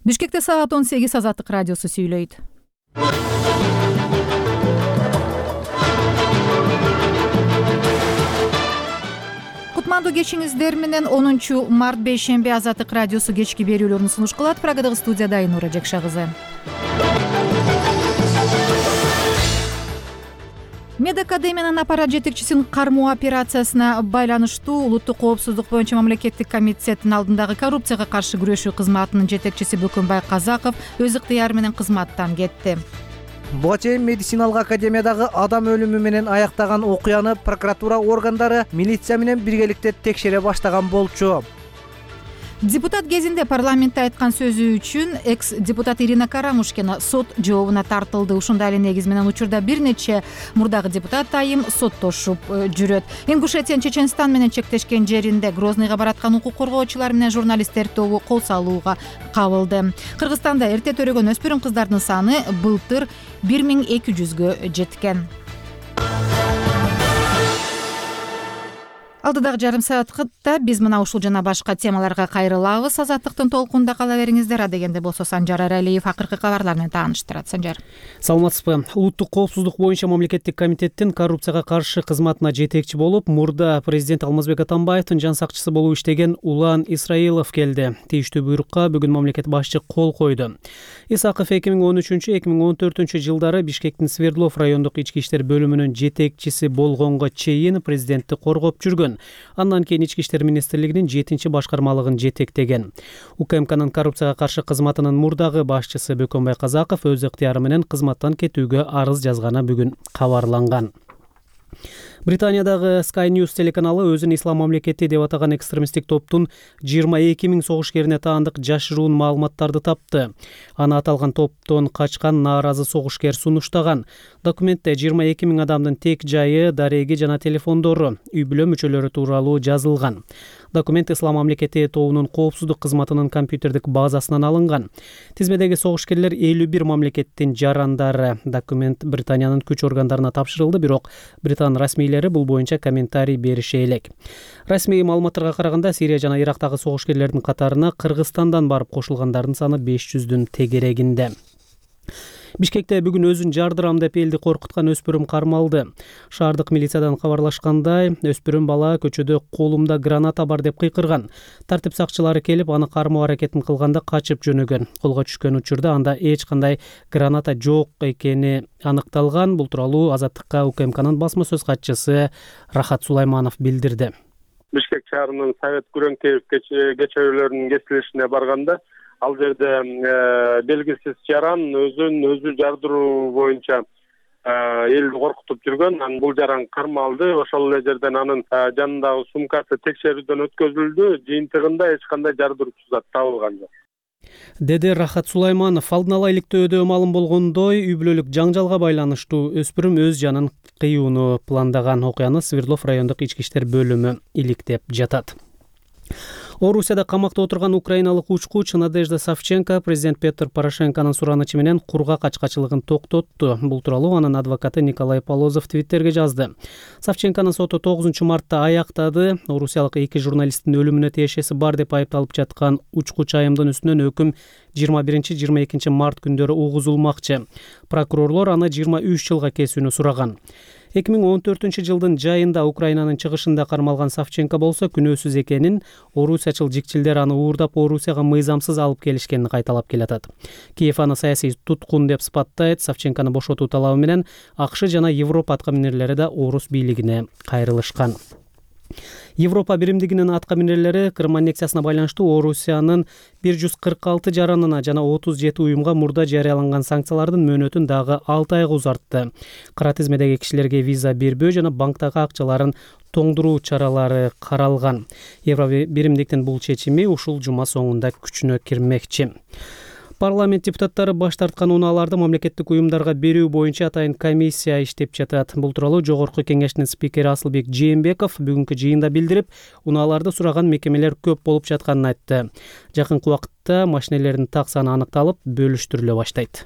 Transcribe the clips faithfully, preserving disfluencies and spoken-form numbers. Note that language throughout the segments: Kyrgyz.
Бишкекте саат он сегиз Азаттык радиосу сүйлөйт. Кутмандуу кечиңиздер менен онунчу март бейшемби Азаттык радиосу кечки берүүлөрүн сунуш кылат. Прагадагы студияда Айнура Жекша кызы. Медакадемиянын аппарат жетекчисин кармоо операциясына байланыштуу Улуттук коопсуздук боюнча мамлекеттик комитеттин алдындагы коррупцияга каршы күрөшүү кызматынын жетекчиси Бөкөнбай Казаков өз ыктыяры менен кызматтан кетти. Буга чейин медициналык академиядагы адам өлүмү менен аяктаган окуяны прокуратура органдары милиция менен биргеликте текшере баштаган болчу. Депутат кезинде парламентте айткан сөзү үчүн экс-депутат Ирина Карамушкина сот жообуна тартылды. Ушундай эле негиз менен учурда бир нече мурдагы депутат айым соттошуп жүрөт. Ингушетиянын Чеченстан менен чектешкен жеринде Грозныйга бараткан укук коргоочулар менен журналисттер тобу кол салууга кабылды. Кыргызстанда эрте төрөгөн өспүрүм кыздардын саны былтыр бир миң эки жүзгө жеткен. Алдыдагы жарым саатта биз мына ушул жана башка темаларга кайрылабыз. Азаттыктын толкунда кала бериңиздер. Адегенде болсо Санжар Аралиев акыркы кабарлар менен тааныштырат. Санжар. Саламатсызбы? Улуттук коопсуздук боюнча мамлекеттик комитеттин коррупцияга каршы кызматына жетекчи болуп, мурда президент Алмазбек Атамбаевдин жан сакчысы болуп иштеген Улан Исраилов келди. Тийиштүү буйрукка бүгүн мамлекет башчы кол койду. Исаков эки миң он үчүнчү — эки миң он төртүнчү жылдары Бишкектин Свердлов райондук ички иштер бөлүмүнүн жетекчиси болгонго чейин президентти коргоп жүргөн. Андан кийин Ички иштер министрлигинин жетинчи башкармалыгын жетектеген. УКМКнын коррупцияга каршы кызматынын мурдагы башчысы Бөкөнбай Казаков өз ыктыяры менен кызматтан кетүүгө арыз жазганы бүгүн кабарланган. Британиядагы Sky News телеканалы өзүн ислам мамлекети деп атаган экстремисттик топтун жыйырма эки миң согушкерине таандык жашыруун маалыматтарды тапты. Аны аталган топтон качкан нааразы согушкер сунуштаган. Документте жыйырма эки миң адамдын тек жайы, дареги жана телефондору, үй бүлө мүчөлөрү тууралуу жазылган. Документ ислам мамлекети тобунун коопсуздук кызматынын компьютердик базасынан алынган. Тизмедеги согушкерлер элүү бир мамлекеттин жарандары. Документ Британиянын күч органдарына тапшырылды, бирок Британ расмийлери бул боюнча комментарий берише элек. Расмий маалыматтарга караганда Сирия жана Ирактагы согушкерлердин катарына Кыргызстандан барып кошулгандардын саны беш жүздүн тегерегинде. Бишкекте бүгүн өзүн жардырам деп элди коркуткан өспүрүм кармалды. Шаардык милициядан кабарлашкандай, өспүрүм бала көчөдө колумда граната бар деп кыйкырган. Тартип сакчылары келип, аны кармоо аракетин кылганда качып жөнөгөн. Колго түшкөн учурда анда эч кандай граната жок экени аныкталган. Бул тууралуу Азаттыкка УКМКнын басма сөз катчысы Рахат Сулайманов билдирди. Бишкек шаарынын Совет Күрөңтеев кечөөлөрүнүн кесилишине барганда, ал жерде белгисиз жаран өзүн өзү жардыруу боюнча элди коркутуп жүргөн. Анан бул жаран кармалды. Ошол эле жерден анын жанындагы сумкасы текшерүүдөн өткөзүлдү. Жыйынтыгында эч кандай жардыруучу зат табылган жок, деди Рахат Сулайманов. Алдын ала иликтөөдө маалым болгондой, үй бүлөлүк жаңжалга байланыштуу өспүрүм өз жанын кыюуну пландаган. Окуяны Свердлов райондук ички иштер бөлүмү иликтеп жатат. Орусияда камакта отурган украиналык учкуч Надежда Савченко президент Петр Порошенконун суранычы менен кургак ачкачылыгын токтотту. Бул тууралуу анын адвокаты Николай Полозов Твиттерге жазды. Савченконун соту тогузунчу мартта аяктады. Орусиялык эки журналисттин өлүмүнө тиешеси бар деп айыпталып жаткан учкуч айымдын үстүнөн өкүм жыйырма биринчи — жыйырма экинчи март күндөрү угузулмакчы. Прокурорлор аны жыйырма үч жылга кесүүнү сураган. эки миң он төртүнчү жылдын жайында Украинанын чыгышында кармалган Савченко болсо күнөөсүз экенин, орусиячыл жикчилдер аны уурдап Орусияга мыйзамсыз алып келишкенин кайталап келатат. Киев аны саясий туткун деп сыпаттайт. Савченкону бошотуу талабы менен АКШ жана Европа аткаминерлери да орус бийлигине кайрылышкан. Европа биримдигинин аткаминерлери Крым аннексиясына байланыштуу Орусиянын бир жүз кырк алты жаранына жана отуз жети уюмга мурда жарыяланган санкциялардын мөөнөтүн дагы алты айга узартты. Кара тизмедеги кишилерге виза бербөө жана банктагы акчаларын тоңдуруу чаралары каралган. Европа биримдиктин бул чечими ушул жума соңунда күчүнө кирмекчи. Парламент депутаттары баш тарткан унааларды мамлекеттик уюмдарга берүү боюнча атайын комиссия иштеп жатат. Бул тууралуу Жогорку Кеңештин спикери Асылбек Жээнбеков бүгүнкү жыйында билдирип, унааларды сураган мекемелер көп болуп жатканын айтты. Жакынкы убакытта машинелердин так саны аныкталып, бөлүштүрүлө баштайт.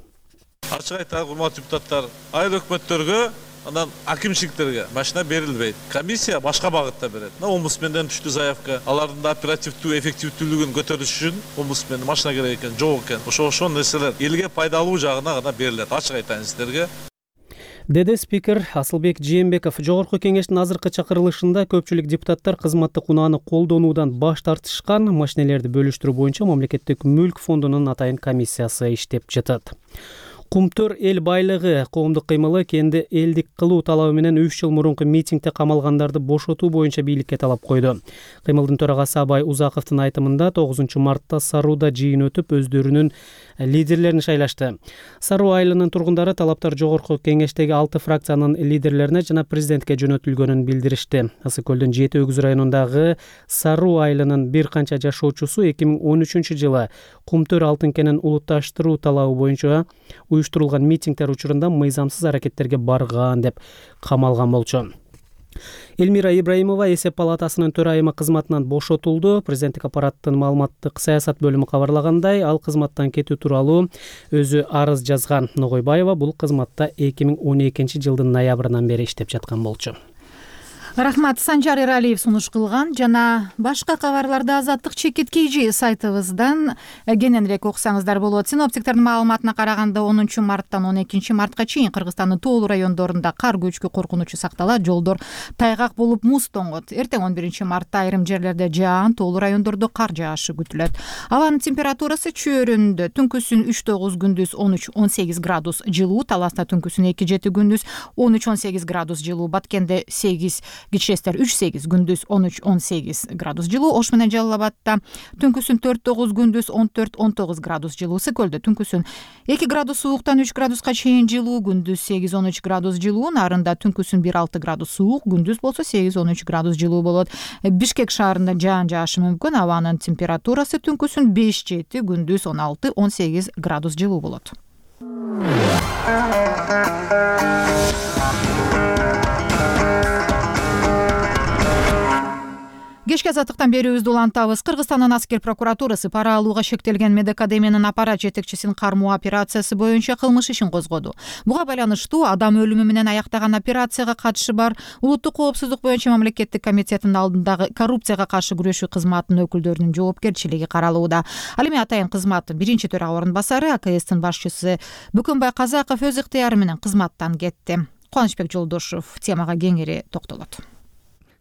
Ачык айтканда, урматтуу депутаттар, айыл өкмөттөргө анан акимчиликтерге машина берилбейт. Комиссия башка багытта берет. Омбудсменден түштү заявка. Алардын да оперативдүү, эффективдүүлүгүн көтөрүш үчүн омбудсмендин машина керек экен, жок экен. Ошо ошол нерселер элге пайдалуу жагына гана берилет. Ачык айтайын сиздерге. Деди спикер Асылбек Жээнбеков. Жогорку кеңештин азыркы чакырылышында көпчүлүк депутаттар кызматтык унааны колдонуудан баш тартышкан. Машинелерди бөлүштүрүү боюнча мамлекеттик мүлк фондунун атайын комиссиясы иштеп жатат. Кумтөр эл байлыгы коомдук кыймылы кенди элдик кылуу талабы менен үч жыл мурунку митингде камалгандарды бошотуу боюнча бийликке талап койду. Кыймылдын төрагасы Абай Узаковдун айтымында тогузунчу мартта Саруудо жыйын өтүп, өздөрүнүн лидерлерин шайлашты. Саруу айылынын тургундары талаптар жогорку кеңештеги алты фракциянын лидерлерине жана президентке жөнөтүлгөнүн билдиришти. Ысык көлдүн Жети Өгүз районундагы Саруу айылынын бир канча жашоочусу эки миң он үчүнчү жылы Кумтөр алтын кенин улутташтыруу талабы боюнча уюштурулган митингдер учурунда мыйзамсыз аракеттерге барган деп камалган болчу. Элмира Ибраимова эсеп палатасынын төрайымы кызматынан бошотулду. Президенттик аппараттын маалыматтык саясат бөлүмү кабарлагандай, ал кызматтан кетүү тууралуу өзү арыз жазган. Ногойбаева бул кызматта эки миң он экинчи жылдын ноябрынан бери иштеп жаткан болчу. Рахмат. Санжар Эралиев сунуш кылган. Жана башка кабарларды Азаттык чекит kg сайтыбыздан кененирээк окусаңыздар болот. Синоптиктердин маалыматына караганда онунчу марттан он экинчи мартка чейин Кыргызстандын тоолуу райондорунда кар көчкү коркунучу сакталат. Жолдор тайгак болуп муз тоңот. Эртең он биринчи мартта айрым жерлерде жаан, тоолуу райондордо кар жаашы күтүлөт. Абанын температурасы чөйрөндө түнкүсүн үч тогуз, күндүз он үч он сегиз градус жылуу, Таласта түнкүсүн эки жети, күндүз он үч он сегиз градус жылуу, Баткенде сегиз, Кичестер үч сегиз, күндүз он үч он сегиз градус жылуу, Ош менен Жалал абадта түнкүсүн төрт тогуз, күндүз он төрт он тогуз градус жылуу, Ысык көлдө түнкүсүн эки градус сууктан үч градуска чейин жылуу, күндүз сегиз он үч градус жылуу, Нарында түнкүсүн бир алты градус суук, күндүз болсо сегиз он үч градус жылуу болот. Бишкек шаарында жаан жаашы мүмкүн, абанын температурасы түнкүсүн беш жети, күндүз он алты он сегиз градус жылуу болот. Кечки азаттыктан берүүбүздү улантабыз. Кыргызстандын аскер прокуратурасы пара алууга шектелген Медакадемиянын аппарат жетекчисин кармоо операциясы боюнча кылмыш ишин козгоду. Буга байланыштуу адам өлүмү менен аяктаган операцияга катышы бар Улуттук коопсуздук боюнча мамлекеттик комитеттин алдындагы коррупцияга каршы күрөшүү кызматынын өкүлдөрүнүн жоопкерчилиги каралууда. Ал эми атайын кызматтын биринчи төрага орун басары А К Стин башчысы Бөкөнбай Казаков өз ыктыяры менен кызматтан кетти. Кубанычбек Жолдошов темага кеңири токтолот.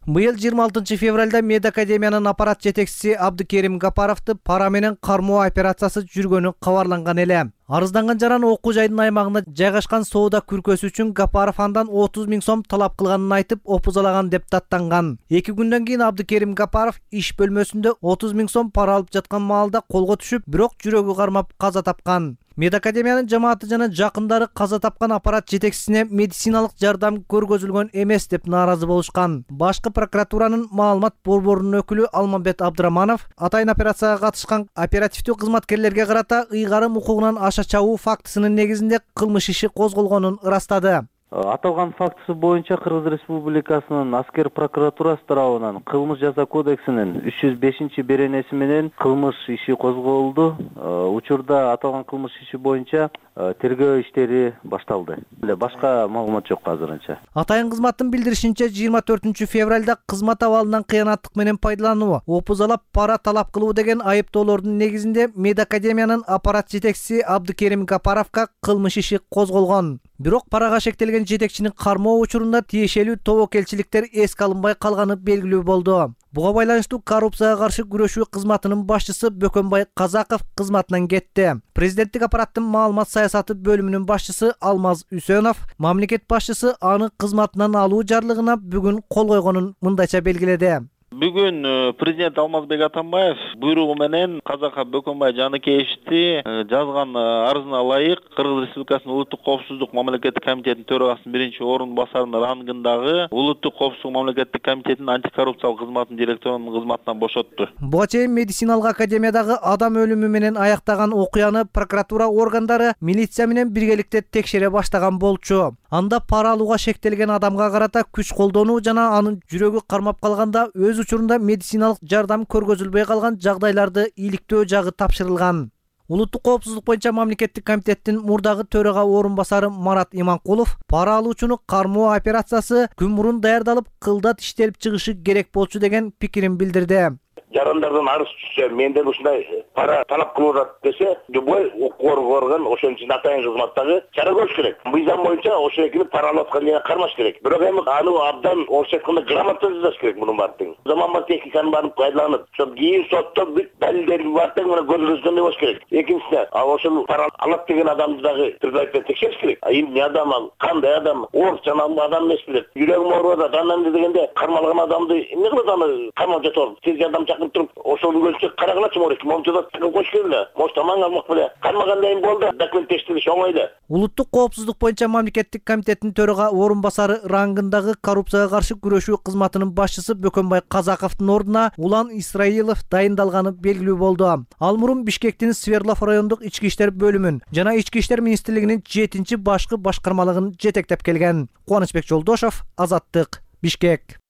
Быйыл жыйырма алтынчы февралда Медакадемиянын аппарат жетекчиси Абдыкерим Гапаровду пара менен кармоо операциясы жүргөнү кабарланган эле. Арызданган жаран окуу жайдын аймагында жайгашкан соода күркөсү үчүн Гапаров андан отуз миң сом талап кылганын айтып, опузалаган деп даттанган. эки күндөн кийин Абдыкерим Гапаров иш бөлмөсүндө отуз миң сом пара алып жаткан маалда колго түшүп, бирок жүрөгү кармап каза тапкан. Медакадемиянын жамааты жана жакындары каза тапкан аппарат жетекчисине медициналык жардам көргөзүлгөн эмес деп нааразы болушкан. Башкы прокуратуранын маалымат борборунун өкүлү Алмамбет Абдыраманов атайын операцияга катышкан оперативдүү кызматкерлерге карата ыйгарым укугунан аша чабуу фактысынын негизинде кылмыш иши козголгонун ырастады. Аталган фактысы боюнча Кыргыз Республикасынын аскер прокуратурасы тарабынан кылмыш жаза кодексинин үч жүз бешинчи беренеси менен кылмыш иши козголду. Учурда аталган кылмыш иши боюнча тергөө иштери башталды. Башка маалымат жок азырынча. Атайын кызматтын билдиришинче жыйырма төртүнчү февралда кызмат абалынан кыянаттык менен пайдалануу, опузалап пара талап кылуу деген айыптоолордун негизинде Медакадемиянын аппарат жетекчиси Абдыкерим Гапаровго кылмыш иши козголгон. Бирок парага шектелген жетекчинин кармоо учурунда тиешелүү тобокелчиликтер эске алынбай калганы белгилүү болду. Буга байланыштуу коррупцияга каршы күрөшүү кызматынын башчысы Бөкөнбай Казаков кызматынан кетти. Президенттик аппараттын маалымат саясаты бөлүмүнүн башчысы Алмаз Үсөнов мамлекет башчысы аны кызматынан алуу жарлыгына бүгүн кол койгонун мындайча белгиледи. Бүгүн президент Алмазбек Атамбаев буйругу менен Казаков Бөкөнбай Жаныкеевичти жазган арызына ылайык Кыргыз Республикасынын Улуттук коопсуздук мамлекеттик комитетинин төрагасынын биринчи орун басарынын рангындагы Улуттук коопсуздук мамлекеттик комитетинин антикоррупциялык кызматынын директорунун кызматынан бошотту. Буга чейин медициналык академиядагы адам өлүмү менен аяктаган окуяны прокуратура органдары милиция менен биргеликте текшере баштаган болчу. Анда пара алууга шектелген адамга карата күч колдонуу жана анын жүрөгү кармап калганда өз учурунда медициналык жардам көргөзүлбөй калган жагдайларды иликтөө жагы тапшырылган. Улуттук коопсуздук боюнча мамлекеттик комитеттин мурдагы төрага орун басары Марат Иманкулов пара алуучуну кармоо операциясы күн мурун даярдалып, кылдат иштелип чыгышы керек болчу деген пикирин билдирди. Жарандардан арыз түшсө, менден ушундай пара талап кылып атат десе, любой укук орган ошон үчүн атайын кызматтагы чара көрүш керек. Мыйзам боюнча ошол экини пара алып аткан жерге кармаш керек. Бирок эми аны абдан орусча айтканда грамотно жазыш керек мунун баардыгын. Заманбап техниканы барып пайдаланып, ошол кийин сотто бүт далилдерди баардыгы мына көзгөзгөндөй болуш керек. Экинчиси, ошол пара алат деген адамды дагы предварительно текшериш керек. Эмне адам ал, кандай адам, орусча адам эмес билет. Жүрөгүм ооруп атат, анан дегенде кармалган адамды эмне кылат аны камап жатып, тез жардам чакырып туруп, ошол өлчөк карагалачы морек, момчада чакырып коюш керек эле. Мош таман алмак беле. Кармагандай болду, документ тештириш оңой эле. Улуттук коопсуздук боюнча мамлекеттик комитеттин төрага орун басары рангындагы коррупцияга каршы күрөшүү кызматынын башчысы Бөкөнбай Казаковдун ордуна Улан Исраилов дайындалганы белгилүү болду. Ал мурун Бишкектин Свердлов райондук ички иштер бөлүмүн жана ички иштер министрлигинин жетинчи башкы башкармалыгын жетектеп келген. Кубанычбек Жолдошов, Азаттык, Бишкек.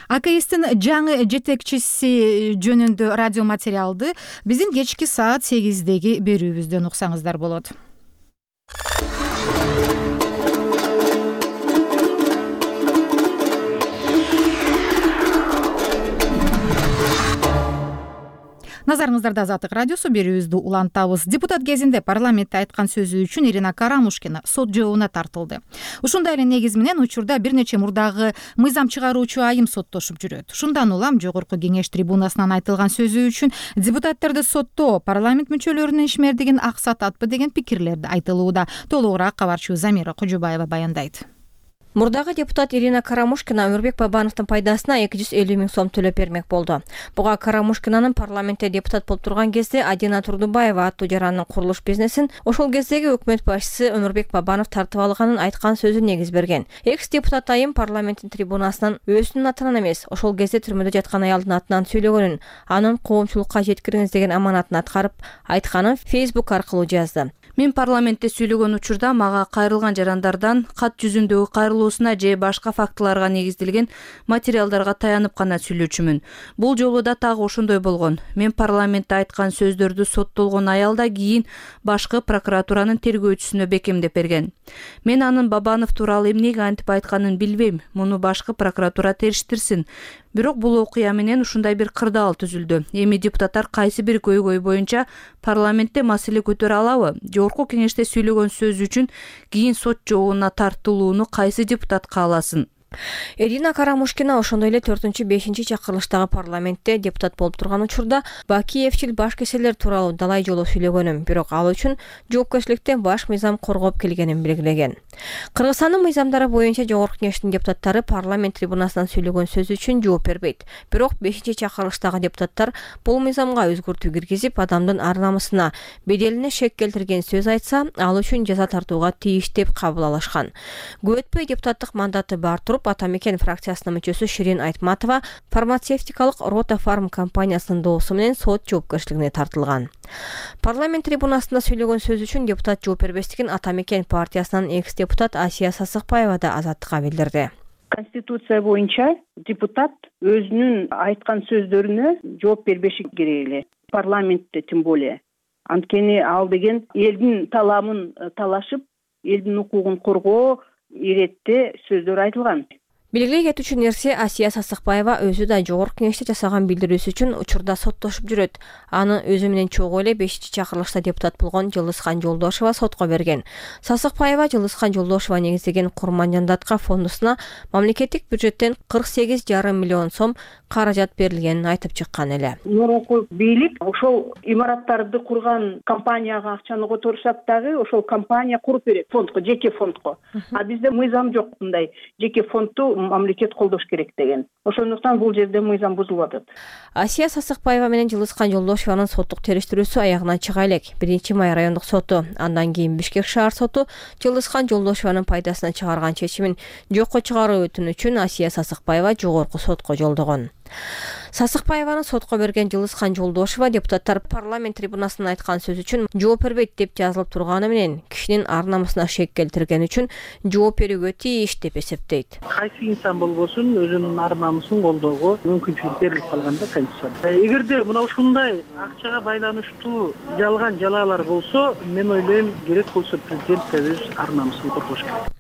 А К Стин жаңы жетекчиси жөнүндө радио материалды биздин кечки саат сегиздеги берүүбүздөн уксаңыздар болот. Назарыңыздарда Азаттык радиосу, берүүбүздү улантабыз. Депутат кезинде парламентте айткан сөзү үчүн Ирина Карамушкина сот жообуна тартылды. Ушундай эле негиз менен учурда бир нече мурдагы мыйзам чыгаруучу айым соттошуп жүрөт. Ушундан улам жогорку кеңеш трибунасынан айтылган сөзү үчүн депутаттарды соттоо парламент мүчөлөрүнүн ишмердигин аксататпы деген пикирлерди айтылууда. Толугураак кабарчы Замира Кожубаева баяндайт. Мурдагы депутат Ирина Карамушкина Өмүрбек Бабановдун пайдасына эки жүз элүү миң сом төлөп бермек болду. Буга Карамушкинанын парламентте депутат болуп турган кезде Адина Турдубаева аттуу жарандын курулуш бизнесин ошол кездеги өкмөт башчысы Өмүрбек Бабанов тартып алганын айткан сөзү негиз берген. Экс депутат айым парламенттин трибунасынан өзүнүн атынан эмес, ошол кезде түрмөдө жаткан аялдын атынан сүйлөгөнүн, анын коомчулукка жеткириңиз деген аманатын аткарып айтканын Facebook аркылуу жазды. Мен парламентте сүйлөгөн учурда мага кайрылган жарандардан кат жүзүндөгү кайрылуусуна же башка фактыларга негизделген материалдарга таянып гана сүйлөчүмүн. Бул жолу да так ошондой болгон. Мен парламентте айткан сөздөрдү соттолгон аял да кийин башкы прокуратуранын тергөөчүсүнө бекемдеп берген. Мен анын Бабанов тууралуу эмнеге антип айтканын билбейм. Муну башкы прокуратура териштирсин. Бирок бул окуя менен ушундай бир кырдаал түзүлдү. Эми депутаттар кайсы бир көйгөй боюнча парламентте маселе көтөрө алабы? Жогорку кеңеште сүйлөгөн сөз үчүн кийин сот жообуна тартылууну кайсы депутат кааласын? Ирина Карамушкина ошондой эле төртүнчү бешинчи чакырылыштагы парламентте депутат болуп турган учурда Бакиевчил баш кеселер тууралуу далай жолу сүйлөгөнүм, бирок ал үчүн жоопкерчиликтен баш мыйзам коргоп келгенин белгилеген. Кыргызстандын мыйзамдары боюнча жогорку кеңештин депутаттары парламент трибунасынан сүйлөгөн сөз үчүн жооп бербейт. Бирок бешинчи чакырылыштагы депутаттар бул мыйзамга өзгөртүү киргизип, адамдын ар намысына, беделине шек келтирген сөз айтса, ал үчүн жаза тартууга тийиш деп кабыл алышкан. Көп өтпөй депутаттык мандаты бар туруп Атамекен фракциясынын мүчөсү Ширин Айтматова фармацевтикалык Рота Фарм компаниясынын доосу менен сот жоопкерчилигине тартылган. Парламент трибунасында сүйлөгөн сөз үчүн депутат жооп бербестигин Атамекен партиясынын экс-депутат Асия Сасыкбаева да Азаттыкка билдирди. Конституция боюнча депутат өзүнүн айткан сөздөрүнө жооп бербеши керек эле. Парламентте тем более. Анткени ал деген элдин таламын талашып, элдин укугун коргоо иретте сөздөр айтылган. Белгилей кетүүчү нерсе, Асия Сасыкбаева өзү да жогорку кеңеште жасаган билдирүүсү үчүн учурда соттошуп жүрөт. Аны өзү менен чогуу эле бешинчи чакырылышта депутат болгон Жылысхан Жолдошова сотко берген. Сасыкбаева Жылысхан Жолдошова негиздеген Курман Жандатка фондусуна мамлекеттик бюджеттен кырк сегиз жарым миллион сом каражат берилгенин айтып чыккан эле. Мурунку бийлик ошол имараттарды курган компанияга акчаны которсак дагы ошол компания куруп берет фондко, жеке фондко. А бизде мыйзам жок мындай жеке фондду мамлекет колдош керек деген. Ошондуктан бул жерде мыйзам бузулуп атат. Асия Сасыкбаева менен Жылысхан Жолдошованын соттук териштирүүсү аягына чыга элек. биринчи май райондук соту, андан кийин Бишкек шаар соту Жылысхан Жолдошованын пайдасына чыгарган чечимин жокко чыгаруу өтүнүчүн Асия Сасыкбаева жогорку сотко жолдогон. Сасыкбаеваны сотко берген Жылыскан Жолдошова депутаттар парламент трибунасынан айткан сөз үчүн жооп бербейт деп жазылып турганы менен кишинин ар намысына шек келтиргени үчүн жооп берүүгө тийиш деп эсептейт. Кайсы инсан болбосун өзүнүн ар намысын колдоого мүмкүнчүлүк берилип калган да Конституцияда. Эгерде мына ушундай акчага байланыштуу жалган жалаалар болсо, мен ойлойм керек болсо президент да өз ар намысын коргош керек.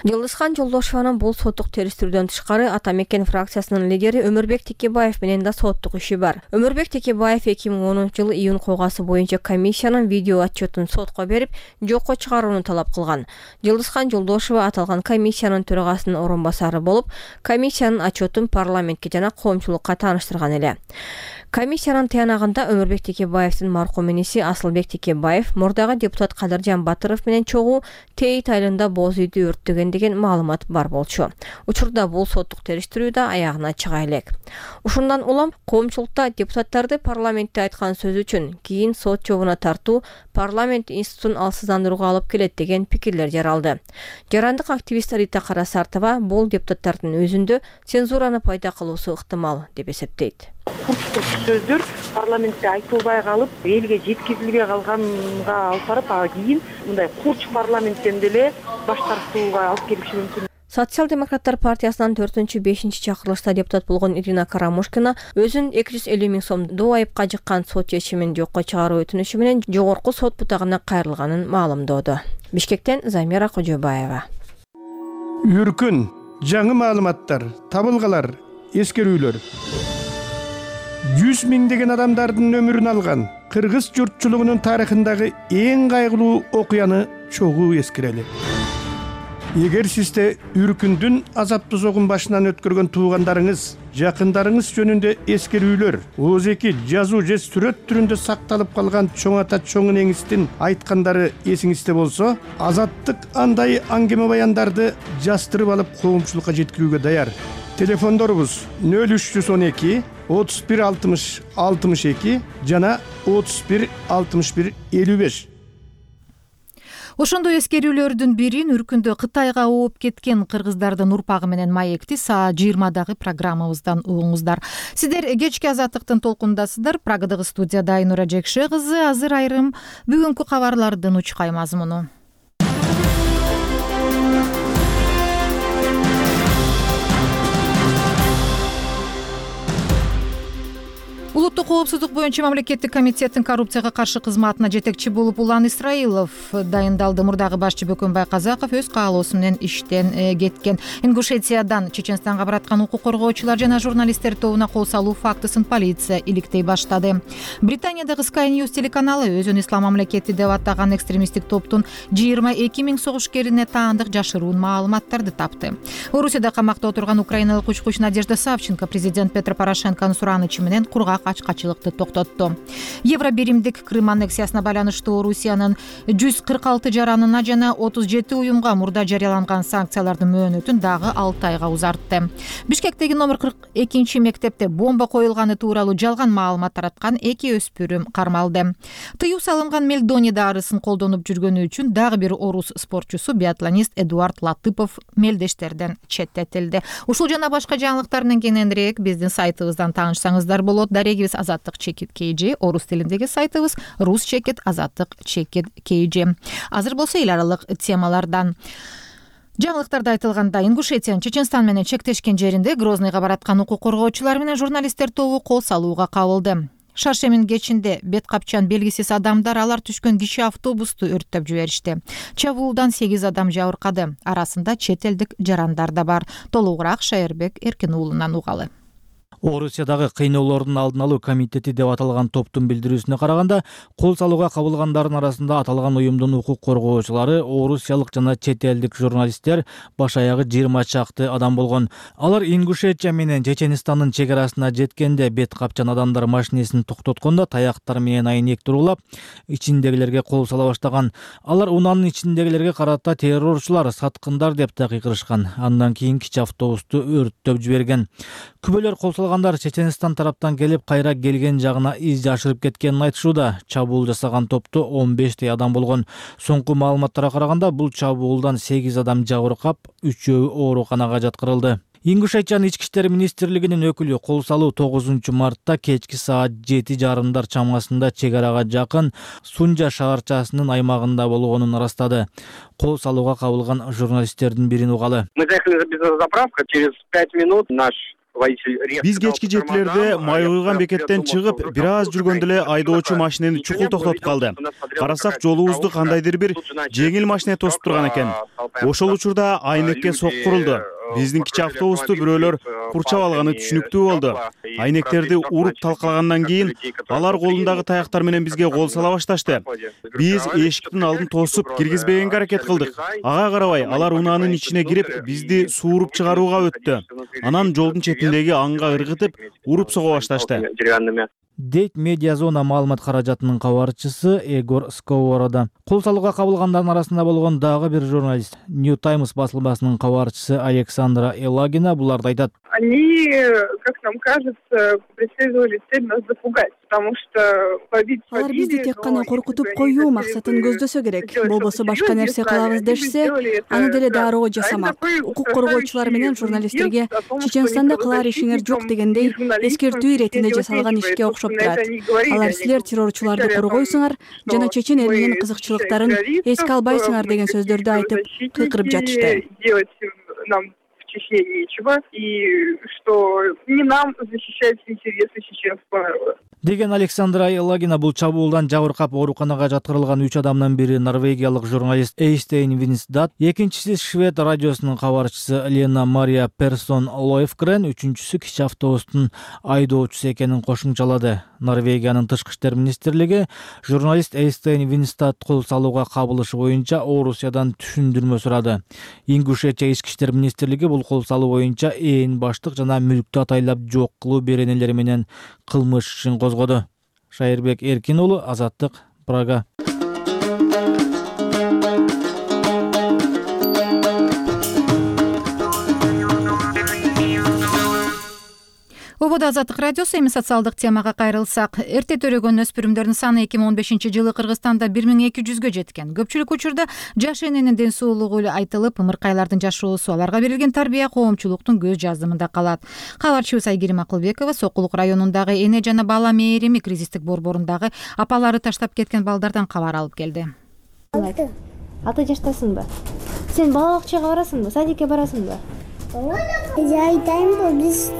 Жылыскан Жолдошованын бул соттук териштирүүдөн тышкары Ата Мекен фракциясынын лидери Өмүрбек Текебаев менен да соттук иши бар. Өмүрбек Текебаев эки миң онунчу жылы июнь койгасы боюнча комиссиянын видео отчетун сотко берип, жокко чыгарууну талап кылган. Жылыскан Жолдошова аталган комиссиянын төрагасынын орун басары болуп, комиссиянын отчетун парламентке жана коомчулукка тааныштырган эле. Комиссиянын тыянагында Өмүрбек Текебаевдин маркум иниси Асылбек Текебаев мурдагы депутат Кадыржан Батыров менен чогуу Тейит айылында боз үйдү өрттөгөн деген маалымат бар болчу. Учурда бул соттук териштирүү да аягына чыга элек. Ушундан улам коомчулукта депутаттарды парламентте айткан сөз үчүн кийин сот жообуна тартуу парламент институтун алсыздандырууга алып келет деген пикирлер жаралды. Жарандык активист Рита Карасартова бул депутаттардын өзүндө цензураны пайда кылуусу ыктымал деп эсептейт. Курчтук сөздөр парламентте айтылбай калып, элге жеткизилбей калганга алып барып, а кийин мындай курч парламенттен деле баш тартууга алып келиши мүмкүн. Социал-демократтар партиясынан төртүнчү бешинчи чакырылышта депутат болгон Ирина Карамушкина өзүн эки жүз элүү миң сом доо айыпка жыккан сот чечимин жокко чыгаруу өтүнүшү менен жогорку сот бутагына кайрылганын маалымдоодо. Бишкектен Замира Кожобаева. Үркүн, жаңы маалыматтар, табылгалар, эскерүүлөр. жүз миңдеген адамдардын өмүрүн алган кыргыз журтчулугунун тарыхындагы эң кайгылуу окуяны чогуу эскерели. Эгер сизде Үркүндүн азаптуу согун башынан өткөргөн туугандарыңыз, жакындарыңыз жөнүндө эскерүүлөр, ооз-эки жазуу же сүрөт түрүндө сакталып калган чоң ата чоң энеңиздин айткандары эсиңизде болсо, Азаттык андай аңгеме баяндарды жастырып алып коомчулукка жеткирүүгө даяр. Телефондорубуз нөл үч жүз он эки отуз бир алтымыш алтымыш эки жана отуз бир алтымыш бир элүү беш. Ошондой эскерүүлөрдүн бирин Үркүндө Кытайга ооп кеткен кыргыздардын урпагы менен маекти саат жыйырмадагы программабыздан угуңуздар. Сиздер кечки Азаттыктын толкундасыздар. Прагадагы студияда Айнура Жекше кызы. Азыр айрым бүгүнкү кабарлардын учкай мазмуну. Улуттук коопсуздук боюнча мамлекеттик комитеттин коррупцияга каршы кызматына жетекчи болуп Улан Исраилов дайындалды. Мурдагы башчы Бөкөнбай Казаков өз каалоосу менен иштен кеткен. Ингушетиядан Чеченстанга бараткан укук коргоочулар жана журналисттер тобуна кол салуу фактысын полиция иликтей баштады. Британиядагы Sky News телеканалы өзүн ислам мамлекети деп атаган экстремисттик топтун жыйырма эки миң согушкерине таандык жашыруун маалыматтарды тапты. Орусияда камакта отурган украиналык учкуч Надежда Савченко президент Петро Порошенконун суранычы менен кургак ачкачылыкты токтотту. Евробиримдик Крым аннексиясына байланыштуу Орусиянын жүз кырк алты жаранына жана отуз жети уюмга мурда жарыяланган санкциялардын мөөнөтүн дагы алты айга узартты. Бишкектеги номер кырк экинчи мектепте бомба коюлганы тууралуу жалган маалымат тараткан эки өспүрүм кармалды. Тыюу салынган мельдоний дарысын колдонуп жүргөнү үчүн дагы бир орус спортчусу биатлонист Эдуард Латыпов мелдештерден четтетилди. Ушул жана башка жаңылыктар менен кененирээк биздин сайтыбыздан таанышсаңыздар болот. Дарегибиз Азаттык чекит kg, орус тилиндеги сайтыбыз рус чекит азаттык чекит kg. Азыр болсо эл аралык темалардан. Жаңылыктарда айтылгандай, Ингушетиянын Чеченстан менен чектешкен жеринде Грозныйга бараткан укук коргоочулар менен журналисттер тобу кол салууга кабылды. Шаршемин кечинде бет капчан белгисиз адамдар алар түшкөн кичи автобусту өрттөп жиберишти. Чабуулдан сегиз адам жабыркады. Арасында чет элдик жарандар да бар. Толугураак Шайырбек Эркин уулунан угалы. Орусиядагы кыйноолордун алдын алуу комитети деп аталган топтун билдирүүсүнө караганда, кол салууга кабылгандардын арасында аталган уюмдун укук коргоочулары, орусиялык жана чет элдик журналисттер баш аягы жыйырма чакты адам болгон. Алар Ингушетия менен Чеченстандын чек арасына жеткенде бет капчан адамдар машинесин токтоткондо таяктар менен айнек турулап, ичиндегилерге кол сала баштаган. Алар унаанын ичиндегилерге карата террорчулар, саткындар деп такыйкырышкан. Андан кийин кичи автобусту өрттөп жиберген. Күбөлөр кол салгандар Чеченстан тараптан келип, кайра келген жагына из жашырып кеткенин айтышууда. Чабуул жасаган топто он бештей адам болгон. Соңку маалыматтарга караганда, бул чабуулдан сегиз адам жабыркап, үчөө ооруканага жаткырылды. Ингушетиянын ички иштер министрлигинин өкүлү кол салуу тогузунчу мартта кечки саат жети жарымдар чамасында чек арага жакын Сунжа шаарчасынын аймагында болгонун ырастады. Кол салууга кабылган журналисттердин бирин угалы. Мы заехали без заправка, через пять минут наш Биз кечки жетилерде май куйган бекеттен чыгып, бир аз жүргөндө эле айдоочу машинени чукул токтотуп калды. Карасак, жолубузду кандайдыр бир жеңил машина тосуп турган экен. Ошол учурда айнекке соккурулду. Биздин кичи автобусту бирөөлөр курчап алганы түшүнүктүү болду. Айнектерди уруп талкалагандан кийин алар колундагы таяктар менен бизге кол сала башташты. Биз эшиктин алдын тосуп киргизбегенге аракет кылдык. Ага карабай алар унаанын ичине кирип, бизди сууруп чыгарууга өттү. Анан жолдун четиндеги аңга ыргытып, уруп сого башташты. Дейт медиа зона маалымат каражатынын кабарчысы Егор Сковорода. Кол салууга кабылгандардын арасында болгон дагы бир журналист, New Times басылмасынын кабарчысы Александра Елагина буларды айтат. Они, как нам кажется, преследовали цель нас запугать, потому что побить побили. Алар бизди тек гана коркутуп коюу максатын көздөсө керек. Болбосо башка нерсе кылабыз дешсе, аны деле дароо жасамак. Укук коргоочулар менен журналисттерге Чеченстанда кылар ишиңер жок дегендей эскертүү иретинде жасалган ишке окшоп турат. Алар силер террорчуларды коргойсуңар жана чечен элинин кызыкчылыктарын эске албайсыңар деген сөздөрдү айтып, кыйкырып жатышты. Чечне нечего, и что не нам защищать интересы чеченского народа. Деген Александра Елагина бул чабуулдан жабыркап ооруканага жаткырылган үч адамдын бири норвегиялык журналист Эйстейн Винсдат, экинчиси швед радиосунун кабарчысы Лена Мария Персон Лойфгрен, үчүнчүсү кичи автобустун айдоочусу экенин кошумчалады. Норвегиянын тышкы иштер министрлиги журналист Эйстейн Винсдат кол салууга кабылышы боюнча Орусиядан түшүндүрмө сурады. Ингушетия ички иштер министрлиги бул кол салуу боюнча ээн баштык жана мүлктү атайлап жок кылуу беренелери менен кылмыш ишин козгоду. Шайырбек Эркин уулу, Азаттык, Прага. Ободо Азаттык радиосу. Эми социалдык темага кайрылсак, эрте төрөгөн өспүрүмдөрдүн саны эки миң он бешинчи жылы Кыргызстанда бир миң эки жүзгө жеткен. Көпчүлүк учурда жаш эненин ден соолугу айтылып, ымыркайлардын жашоосу, аларга берилген тарбия коомчулуктун көз жазымында калат. Кабарчыбыз Айгерим Акылбекова Сокулук районундагы эне жана бала мээрими кризистик борборундагы апалары таштап кеткен балдардан кабар алып келди. Алты жаштасыңбы? Сен бала бакчага барасыңбы? Садикке барасыңбы? Айтайынбы, биз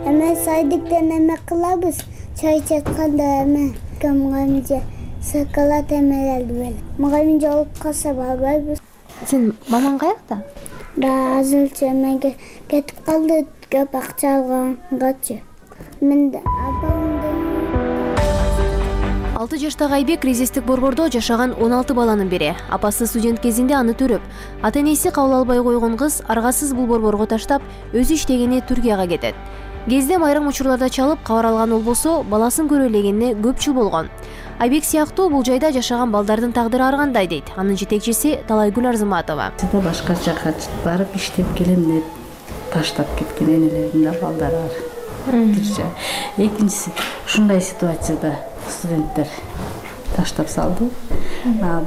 эме садиктен эме кылабыз, чай чатканда эме камгамже шоколад эмелерди бел. Мугалим жолуп калса барбайбыз. Сен мамаң каякта? Да, азырча эмеге кетип калды, көп акча алгангачы. Мен апамдын алты жаштагы Айбек кризистик борбордо жашаган он алты баланын бири. Апасы студент кезинде аны төрөп, ата-энеси кабыл албай койгон кыз аргасыз бул борборго таштап, өзү иштегени Түркияга кетет. Кездем айрым учурларда чалып кабар алган болбосо, баласын көрө элегенине көп жыл болгон. Айбек сыяктуу бул жайда жашаган балдардын тагдыры ар кандай дейт анын жетекчиси Талайгүл Арзыматова. Сида башка жака барып иштеп келем деп таштап кеткен энелердин да балдары бар. Экинчиси ушундай ситуацияда студенттер таштап салды.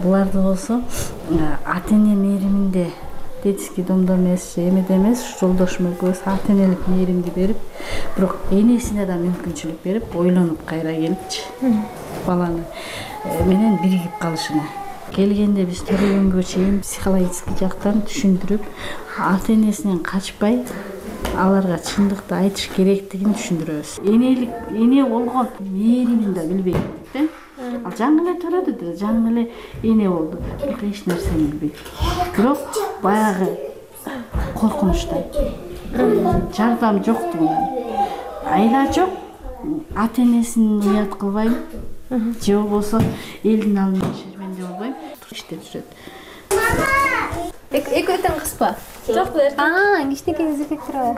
Буларды болсо ата-эне мээриминде детский домдо эмес, эмеде эмес, жолдошум экөөбүз ата-энелик мээримди берип, бирок энесине да мүмкүнчүлүк берип, ойлонуп кайра келипчи баланы менен биригип калышына. Келгенде биз төрөгөнгө чейин психологический жактан түшүндүрүп, ата-энесинен качпай аларга чындыкты айтыш керектигин түшүндүрөбүз. Энелик, эне болгон мээримин да билбейт да. Ал жаңы эле төрөдү да, жаңы эле эне болду. Бирок эч нерсени билбейт. Бирок баягы коркунучтай. Жардам жоктугунан. Айла жок, ата-энесин уят кылбайм. Же болбосо элдин алдында шерменде болбойм. Иштеп жүрөт. Экөө тең кызба? Жок берди. А, кичинекей зекектер бар.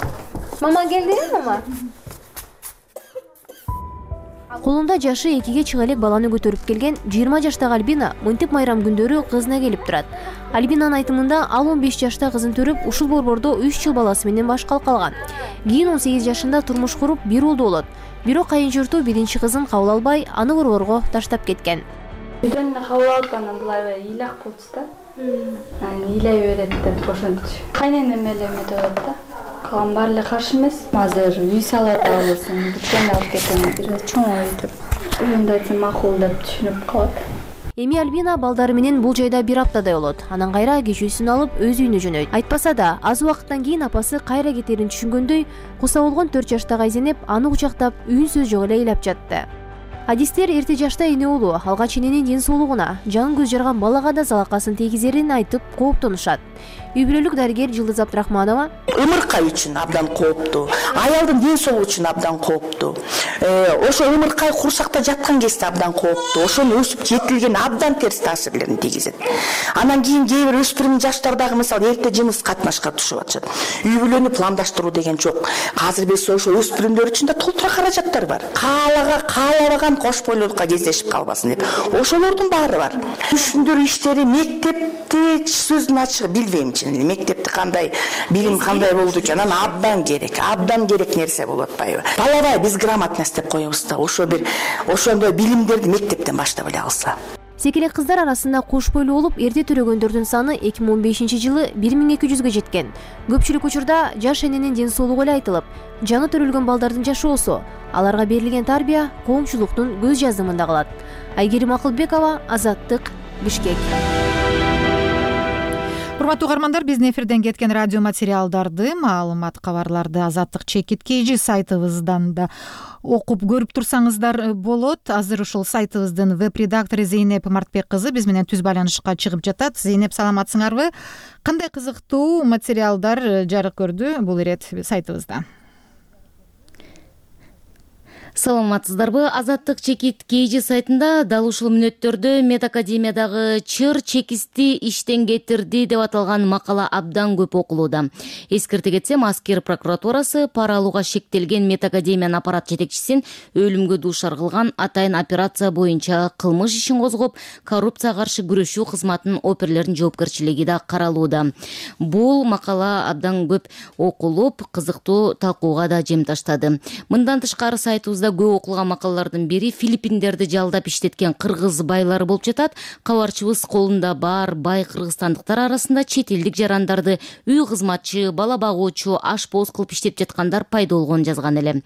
Мама келдиби, мама? Колунда жашы экиге чыга элек баланы көтөрүп келген жыйырма жаштагы Альбина мынтип майрам күндөрү кызына келип турат. Альбинанын айтымында ал он беш жашта кызын төрүп, ушул борбордо үч жыл баласы менен баш калкалган. Кийин он сегиз жашында турмуш куруп, бир уулду болот. Бирок кайын журту биринчи кызын кабыл албай, аны борборго таштап кеткен. Үйдөн кабыл алгандан булай ыйлак болчу да. Аны ыйлай берет деп ошончу. Кайненем эле эметип атат да. калган баары эле каршы эмес. Азыр үй салып атабызын, бүткөндө алып кетем, бир чоң өйтүп үйүмдү айтсам макул деп түшүнүп калат. Эми Альбина балдары менен бул жайда бир аптадай болот. Анан кайра кечүүсүн алып өз үйүнө жөнөйт. Айтпаса да, аз убакыттан кийин апасы кайра кетерин түшүнгөндөй, куса болгон төрт жаштагы Айзенеп аны кучактап, үйүнсөз жок эле ыйлап жатты. Адистер эрте жашта эне уулу алгач эненин ден соолугуна, жан көз жарган балага да залакасын тийгизерин айтып кооптонушат. Үй бүлөлүк дарыгер Жылдыз Абдрахманова: ымыркай үчүн абдан кооптуу, аялдын ден соолугу үчүн абдан кооптуу. Ошо ымыркай курсакта жаткан кезде абдан кооптуу. Ошону өсүп жетилген абдан терс таасирлерин тийгизет. Анан кийин кээ бир өспүрүм жаштардагы мисалы эрте жыныс катнашка түшүп атышат. Үй бүлөнү пландаштыруу деген жок. Азыр биз ошо өспүрүмдөр үчүн да толтура каражаттар бар. Каалага, каалабаган кош бойлуулукка кездешип калбасын деп. Ошолордун баары бар. Түшүндүрүү иштери мектепте сөздүн ачыгы билбейм. Мектепте кандай билим кандай болду экен, анан абдан керек, абдан керек нерсе болуп атпайбы? Половая безграмотность деп коебуз да. Ошо бир ошондой билимдерди мектептен баштап эле алса. Секелек кыздар арасында кош бойлуу болуп эрте төрөгөндөрдүн саны эки миң он бешинчи жылы бир миң эки жүзгө жеткен. Көпчүлүк учурда жаш эненин ден соолугу эле айтылып, жаны төрөлгөн балдардын жашоосу, аларга берилген тарбия коомчулуктун көз жазымында калат. Айгерим Акылбекова, Азаттык, Бишкек. Урматтуу угармандар, биздин эфирден кеткен радио материалдарды, маалымат, кабарларды Азаттык чекит kg сайтыбыздан да окуп көрүп турсаңыздар болот. Азыр ушул сайтыбыздын веб-редактору Зейнеп Мартбек кызы биз менен түз байланышка чыгып жатат. Зейнеп, саламатсыңарбы? Кандай кызыктуу материалдар жарык көрдү бул ирет сайтыбызда? Саламатсыздарбы? Азаттык чекит kg сайтында дал ушул мүнөттөрдө медакадемиядагы чыр чекисти иштен кетирди деп аталган макала абдан көп окулууда. Эскерте кетсем, Аскер прокуратурасы пара алууга шектелген медакадемиянын аппарат жетекчисин өлүмгө дуушар кылган атайын операция боюнча кылмыш ишин козгоп, коррупцияга каршы күрөшүү кызматынын оперлеринин жоопкерчилиги да каралууда. Бул макала абдан көп окулуп, кызыктуу талкууга да жем таштады. Мындан тышкары сайтыбызда көп окулган макалалардын бири Филиппиндерди жалдап иштеткен кыргыз байлары болуп жатат. Кабарчыбыз колунда бар бай кыргызстандыктар арасында чет элдик жарандарды үй кызматчы, бала багуучу, ашпоз кылып иштеп жаткандар пайда болгонун жазган эле.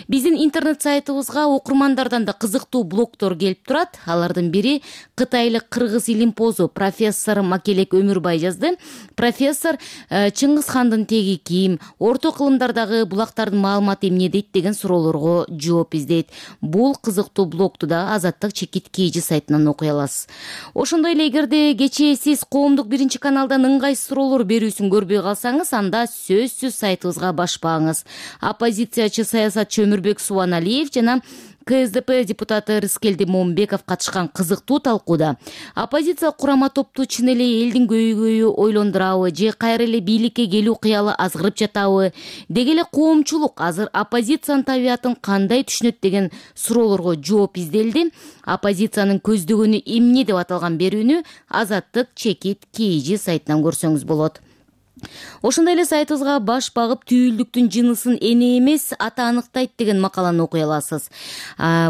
Биздин интернет сайтыбызга окурмандардан да кызыктуу блогдор келип турат. Алардын бири кытайлык кыргыз илимпозу профессор Макелек Өмүрбай жазды. Профессор Чыңгыз хандын теги ким, орто кылымдардагы булактардын маалыматы эмне дейт деген суроолорго жооп издейт. Бул кызыктуу блогду да Азаттык чекит kg сайтынан окуй аласыз. Ошондой эле эгерде кечээ сиз коомдук биринчи каналдан ыңгайсыз суроолор берүүсүн көрбөй калсаңыз, анда сөзсүз сайтыбызга башпаңыз. Оппозициячы саясатчы Өмүрбек Субаналиев жана КСДП депутаты Рыскелди Момбеков катышкан кызыктуу талкууда оппозиция курама топту чын эле элдин көйгөйү ойлондурабы же кайра эле бийликке келүү кыялы азгырып жатабы, деги эле коомчулук азыр оппозициянын табиятын кандай түшүнөт деген суроолорго жооп изделди. Оппозициянын көздөгөнү эмне деп аталган берүүнү Азаттык чекит kg сайтынан көрсөңүз болот. Ошондой эле сайтыбызга баш багып түйүлдүктүн жынысын эне эмес ата аныктайт деген макаланы окуй аласыз.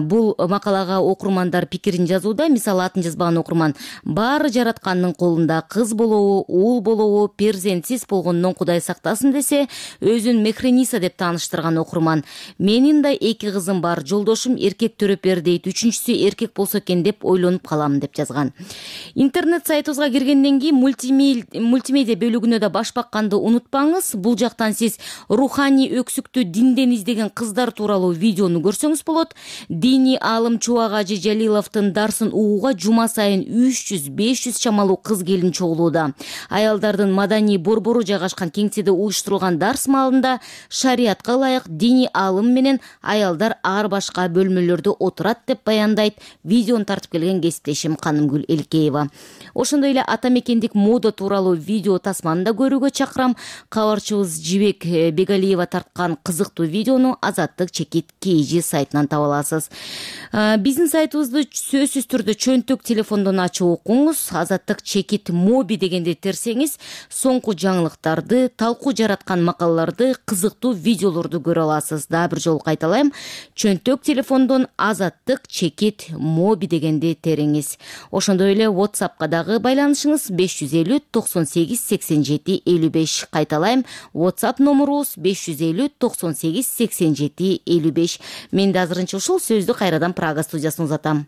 Бул макалага окурмандар пикирин жазууда. Мисалы, атын жазбаган окурман: баары жараткандын колунда, кыз болобу, уул болобу, перзентсиз болгондон Кудай сактасын десе, өзүн Мехрениса деп тааныштырган окурман. Менин да эки кызым бар, жолдошум эркек төрөп бер дейт, үчүнчүсү эркек болсо экен деп ойлонуп калам деп жазган. Интернет сайтыбызга киргенден кийин мультимедиа бөлүгүнө да баш бакканды унутпаңыз. Бул жактан сиз руханий өксүктү динден издеген кыздар тууралуу видеону көрсөңүз болот. Диний аалым Чубак Ажы Жалиловдун дарсын угууга жума сайын үч жүз беш жүз чамалуу кыз келин чогулууда. Аялдардын маданий борбору жайгашкан кеңседе уюштурулган дарс маалында шариатка ылайык диний аалым менен аялдар ар башка бөлмөлөрдө отурат деп баяндайт видеону тартып келген кесиптешим Канымгүл Элкеева. Ошондой эле ата мекендик мода тууралуу видео тасманы да көрүүгө чакырам. Кабарчыбыз Жибек Бегалиева тарткан кызыктуу видеону Азаттык чекит kg сайтынан таба аласыз. Биздин сайтыбызды сөзсүз түрдө чөнтөк телефондон ачып окуңуз. Азаттык чекит моби дегенде терсеңиз, соңку жаңылыктарды, талкуу жараткан макалаларды, кызыктуу видеолорду көрө аласыз. Дагы бир жолу кайталайм. Чөнтөк телефондон Азаттык чекит моби дегенде териңиз. Ошондой эле WhatsAppка дагы байланышыңыз беш жүз элүү токсон сегиз сексен жети элүү беш. Кайталайм, WhatsApp номурубуз беш жүз элүү токсон сегиз сексен жети элүү беш. Мен да азырынча ушул сөздү кайрадан Прага студиясына узатам.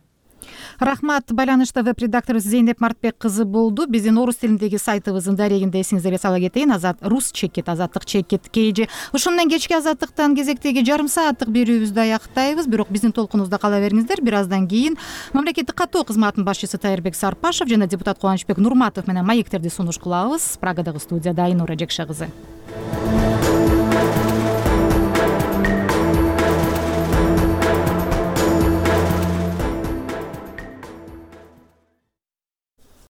Рахмат. Байланышта веб-редакторубуз Зейнеп Мартбек кызы болду. Биздин орус тилиндеги сайтыбыздын дарегинде эсиңиздерге сала кетейин. Азат рус чекит, азаттык чекит kg. Ушун менен кечки азаттыктан кезектеги жарым сааттык берүүбүздү аяктайбыз. Бирок биздин толкунубузда кала бериңиздер. Бир аздан кийин мамлекеттик каттоо кызматынын башчысы Тайырбек Сарпашев жана депутат Кубанычбек Нурматов менен маектерди сунуш кылабыз. Прагадагы студияда Айнура Жекше кызы.